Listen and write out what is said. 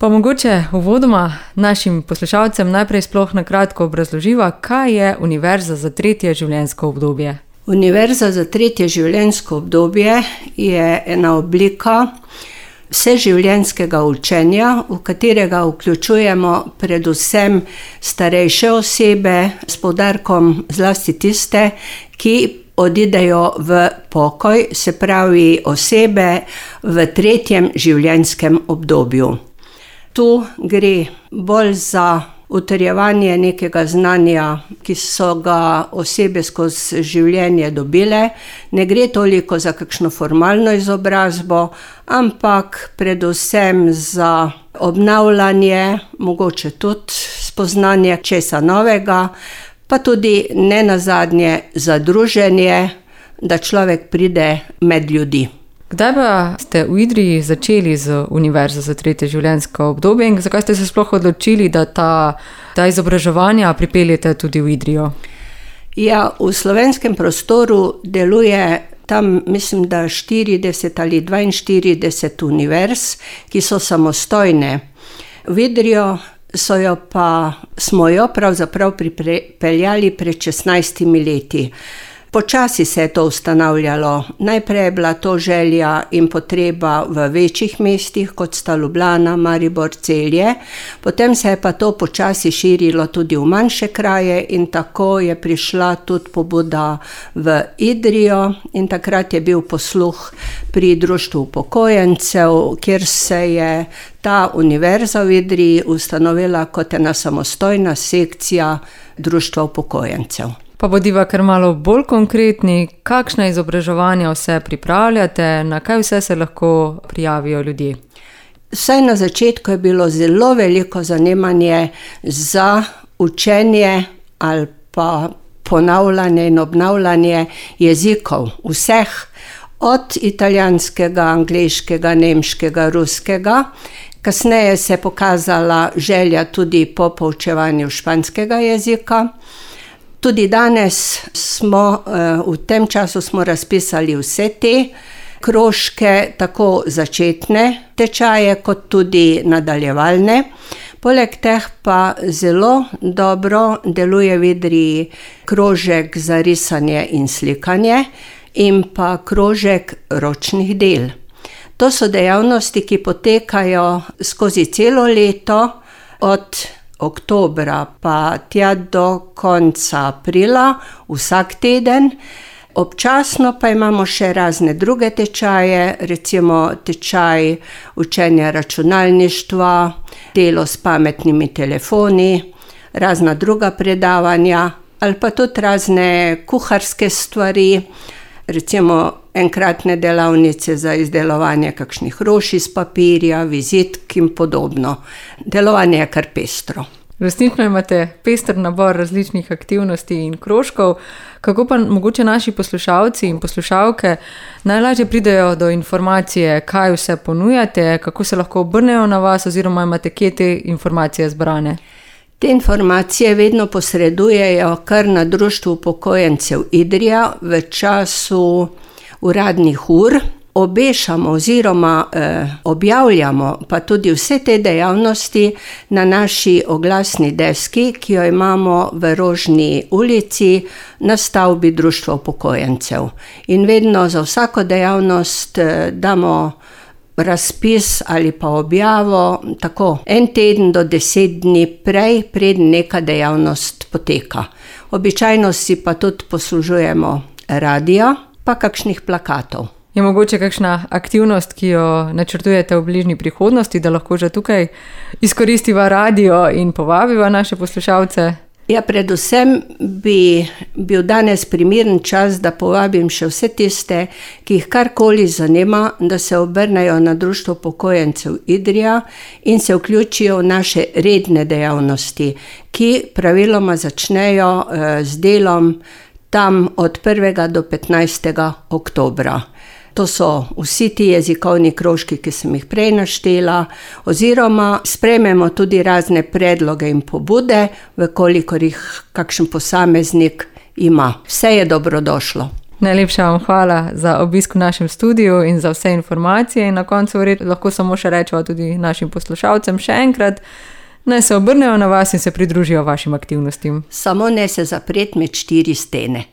Pa mogoče uvodoma našim poslušalcem najprej sploh na kratko obrazloživa, kaj je Univerza za tretje življenjsko obdobje. Univerza za tretje življenjsko obdobje je ena oblika vseživljenjskega učenja, v katerega vključujemo predvsem starejše osebe, s poudarkom zlasti tiste, ki odidejo v pokoj, se pravi osebe v tretjem življenjskem obdobju. Tu gre bolj za utrjevanje nekega znanja, ki so ga osebe skozi življenje dobile. Ne gre toliko za kakšno formalno izobrazbo, ampak predvsem za obnavljanje, mogoče tudi spoznanje česa novega, pa tudi nenazadnje za druženje, da človek pride med ljudi. Kdaj pa ste v Idriji začeli z Univerzo za tretje življenjsko obdobje in zakaj ste se sploh odločili, da ta izobraževanja pripeljete tudi v Idrijo? Ja, v slovenskem prostoru deluje tam, mislim, da 40 ali 42 univerz, ki so samostojne. V Idrijo smo jo pravzaprav pripeljali pred 16 leti. Počasi se je to ustanavljalo. Najprej je bila to želja in potreba v večjih mestih, kot sta Ljubljana, Maribor, Celje. Potem se je pa to počasi širilo tudi v manjše kraje in tako je prišla tudi pobuda v Idrijo in takrat je bil posluh pri Društvu upokojencev, kjer se je ta univerza v Idriji ustanovila kot ena samostojna sekcija Društva upokojencev. Pa bodiva kar malo bolj konkretni, kakšne izobraževanja vse pripravljate, na kaj vse se lahko prijavijo ljudje? Vsaj na začetku je bilo zelo veliko zanimanje za učenje ali pa ponavljanje in obnavljanje jezikov vseh, od italijanskega, angleškega, nemškega, ruskega. Kasneje se je pokazala želja tudi po poučevanju španskega jezika. Tudi danes v tem času smo razpisali vse te krožke, tako začetne tečaje, kot tudi nadaljevalne. Poleg teh pa zelo dobro deluje v Idriji krožek za risanje in slikanje in pa krožek ročnih del. To so dejavnosti, ki potekajo skozi celo leto, od oktobra pa tja do konca aprila, vsak teden. Občasno pa imamo še razne druge tečaje, recimo tečaj učenja računalništva, delo s pametnimi telefoni, razna druga predavanja ali pa tudi razne kuharske stvari, recimo enkratne delavnice za izdelovanje kakšnih rož iz papirja, vizitk in podobno. Delovanje je kar pestro. Resnično imate pester nabor različnih aktivnosti in krožkov. Kako pa mogoče naši poslušalci in poslušalke najlažje pridejo do informacije, kaj vse ponujate, kako se lahko obrnejo na vas oziroma imate kje te informacije zbrane? Te informacije vedno posredujejo kar na Društvu upokojencev Idrija v času uradnih ur. Obešamo oziroma objavljamo pa tudi vse te dejavnosti na naši oglasni deski, ki jo imamo v Rožni ulici na stavbi Društva upokojencev. In vedno za vsako dejavnost damo razpis ali pa objavo tako 1 teden do 10 dni prej, preden neka dejavnost poteka. Običajno si pa tudi poslužujemo radio, pa kakšnih plakatov. Je mogoče kakšna aktivnost, ki jo načrtujete v bližnji prihodnosti, da lahko že tukaj izkoristiva radio in povabiva naše poslušalce? Ja, predvsem bi bil danes primeren čas, da povabim še vse tiste, ki jih karkoli zanima, da se obrnejo na Društvo upokojencev Idrija in se vključijo v naše redne dejavnosti, ki praviloma začnejo z delom tam od 1. do 15. oktobra. To so vsi ti jezikovni krožki, ki sem jih prej naštela, oziroma sprejmemo tudi razne predloge in pobude, v kolikor jih kakšen posameznik ima. Vse je dobrodošlo. Najlepša vam hvala za obisk v našem studiu in za vse informacije. In na koncu lahko samo še rečemo tudi našim poslušalcem še enkrat, naj se obrnejo na vas in se pridružijo vašim aktivnostim. Samo ne se zapreti med 4 stene.